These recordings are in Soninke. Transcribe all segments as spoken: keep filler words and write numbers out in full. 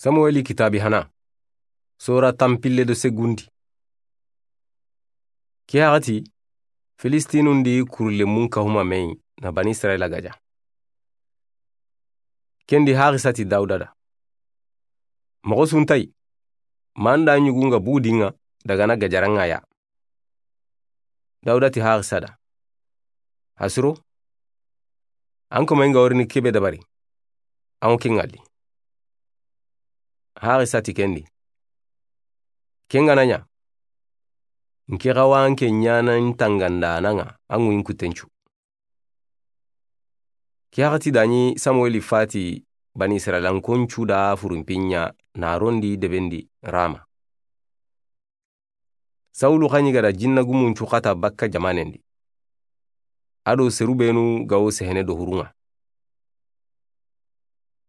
Samuweli kitaabi hana, sora tanpille do segundi. Ke waxati, Filistinun di kurlemun kahuma me yi na Bani Israila gaja. Ken di haxisa ti Dawuda da. Moxo su nta yi, ma an da ɲugun ga bugu di ŋa daga na gajaran ŋa ya. Dawuda ti haxisa da. Hasuro, an koma in ga wori ni kebe dabari, an wo ken ŋalli. Haxisa ti ken di. Ken ga na ɲa, n ke xawa an ke ɲaana n tanganda na ŋa, an ŋu in kutencu. Ke waxati da ɲi Samuweli fati Bani Israila n koncu da furunpiɲa na rondi debendi Rama. Sawulu xa ɲi ga da jinna gumun cu xata bakka jamanen di. A do seru benu ga wo sehene do hurun ŋa.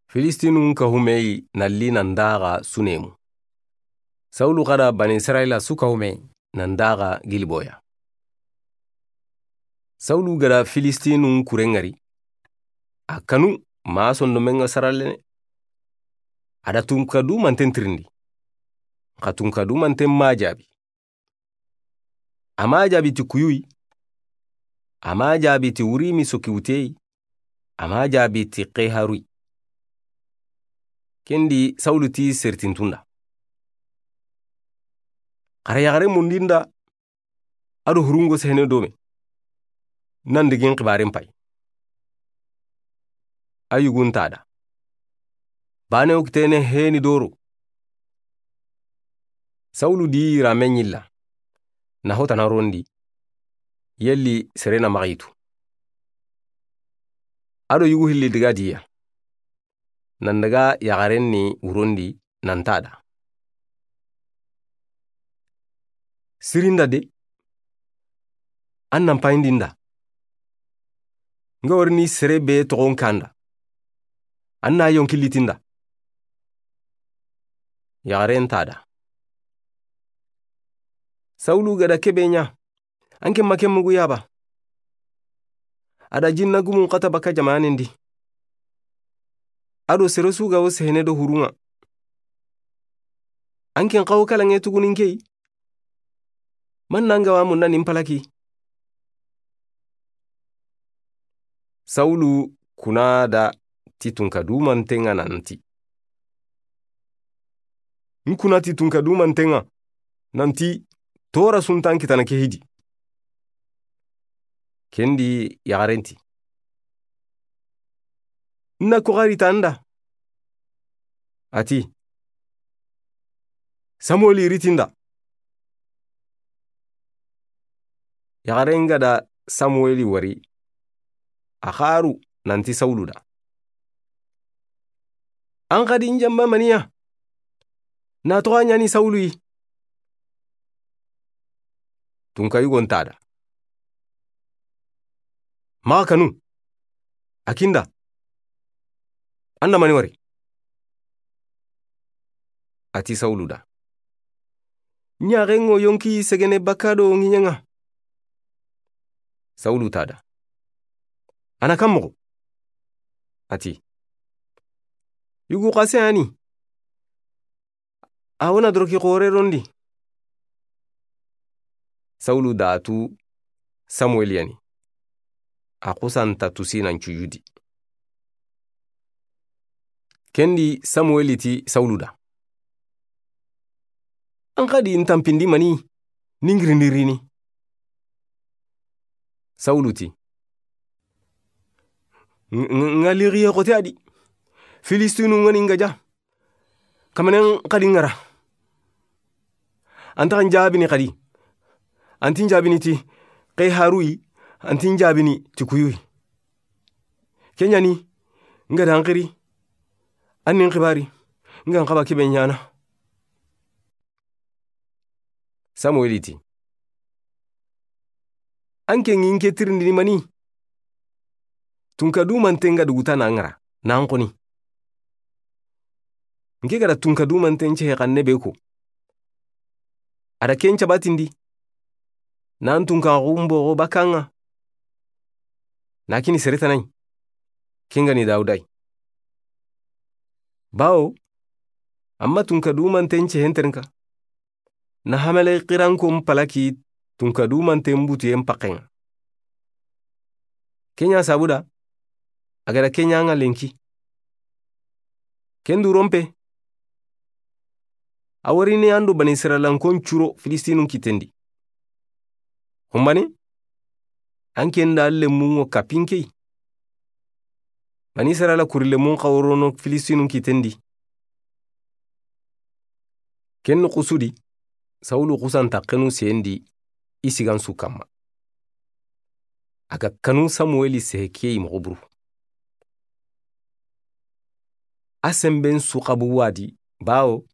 Filistinun kahume yi na li nan daxa Sunemu. Sawulu xa da Bani Israila su kahume yi nan daxa Giliboya. Sawulu ga da Filistinun kuren ŋari. A kanu ma sondomen ŋa saralene. A da tunka dumanten tirindi. Xa tunka dumanten ma jaabi. A ma jaabi ti kuyuyi. A ma jaabi ti wurimi soki wuteyi. A ma jaabi ti xeharuyi. Ken di Sawulu ti sertintun da. Xara yaxare mundin da. A do hurun ŋo sehene do me. Nan digin xibaren pay. A yugun ta da. Bane wo kitene heni doro. Sawulu di rame ɲilla. Na hota na rondi. Yelli sere na maxa yitu. A do yugu hilli diga diya. Nan daga yaxaren ni wurondi nan ta da. Sirinda de. An nan payindinda. Nga wori ni sere be toxon kanda. An na yonki litinda. Yaxaren ta da. Sawulu ga da kebe ɲa. An ke ma ke mugu yaba. A da jinna gumun xata bakka jamanen di. A do sere su ga wo sehene do hurun ŋa. An ke n xawo kala ŋe tugunin ke yi. Man nan ga wa munna nin palaki. Sawulu kuna da ti tunka dumanten ŋa nanti. N kuna ti tunka dumanten ŋa nanti tora su nta n kitana ke hidi. Ken di yaxaren ti. N na ko xari tanda. A ti. Samuweli ritinda. Yaxaren ga da Samuweli wari. A xaru nanti Sawulu da. An xadi n jamba maniya. Na toxa ɲani Sawulu yi. Tunka yugon ta da. Maxa kanu. A kinda. An da mani wari. A ti Sawulu da. Ɲaxen ŋo yonki segene bakka do ŋiɲen ŋa. Sawulu ta da. A na kan moxo. A ti. Yugu xase ani. A wo na doroki xore rondi. Sawulu da tu Samuweli yani. A xusanta tusi nan cujudi. Ken di Samuweli ti Sawulu da. An xadi n tanpindi mani ni n girindi rini. Sawulu ti. N-, n-, n ga lixiye xote a di. Filistinu ŋa ni n gaja. Kamanen xadi n ŋara. An taxa n jaabini xadi. An ti n jaabini ti xeharuyi. An ti n jaabini ti kuyuyi. Ke ɲani n ga da n xiri. An ni n xibari n ga n xaba kebe ɲana. Samuweli ti. An ke ŋi n ke tirindini mani. Tunka dumanten ga duguta na n ŋara na n xoni. N ke ga da tunka dumanten cehe xanne be ko. A da ken cabatindi. Na n tunka xumboxo bakka ŋa. Na kini sere tana yi. Ken ga ni Dawuda yi. Bawo Amma tunka dumanten cehen terinka. Na hamale xirankon palaki tunka dumanten butuyen paxenŋa. Ken ɲa sabuda, a ga da ken ɲa ŋa lenki. Ken duronpe, a wari ne an do Bani Israilankon curo Filistinun kitten di. Xumbane, an ken da lemmun ŋo kapinke yi. Bani Israila kuri lemmun xa worono Filistinun kitten di. Ken noxu su di, Sawulu xusanta xenu sendi i sigan su kamma. A ga kanu Samuweli sehe ke yi moxo buru. A senben su xabu wadi, bawo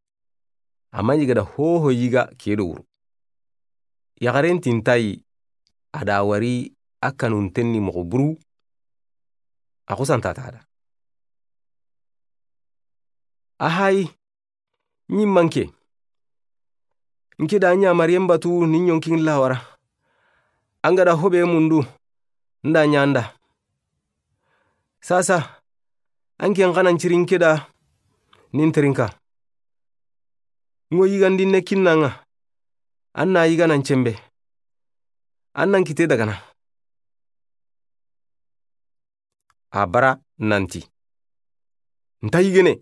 a ma ɲi ga da hoho yiga ke do wuru. Yaxaren tintayi, a da wari a kanunten ni moxo buru, a xusanta ta da. A hayi, ɲimmanke. N ke da ɲa Mariyen batu ni ɲonkin lawara. An ga da hobe mundu, n da ɲa n da. Sasa, an ke n xanan cirin ke da nin terinka. Ŋo yigandin ne kinnanŋa, an na yiga nan cembe. An nan kite dagana. A bara nanti, nta yigene.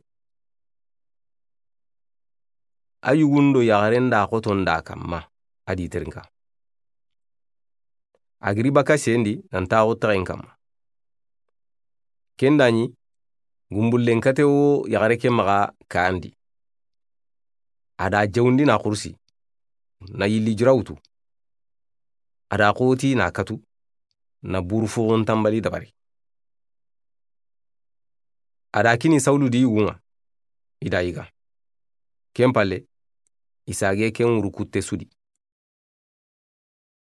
A yugun do yaxaren da xoton da kamma, a di terinka. A giri baka sendi nan taxu taxen kamma. Ken da ɲi, gumbullen kate wo yaxare ke maxa kayandi. A da jawundi na xursi, na yilli jura wutu. A da xoti na katu, na buru foxon tambali dabari. A da kini Sawulu di yugunŋa, i da yiga. Ken palle, i sage ken wuru kutte su di.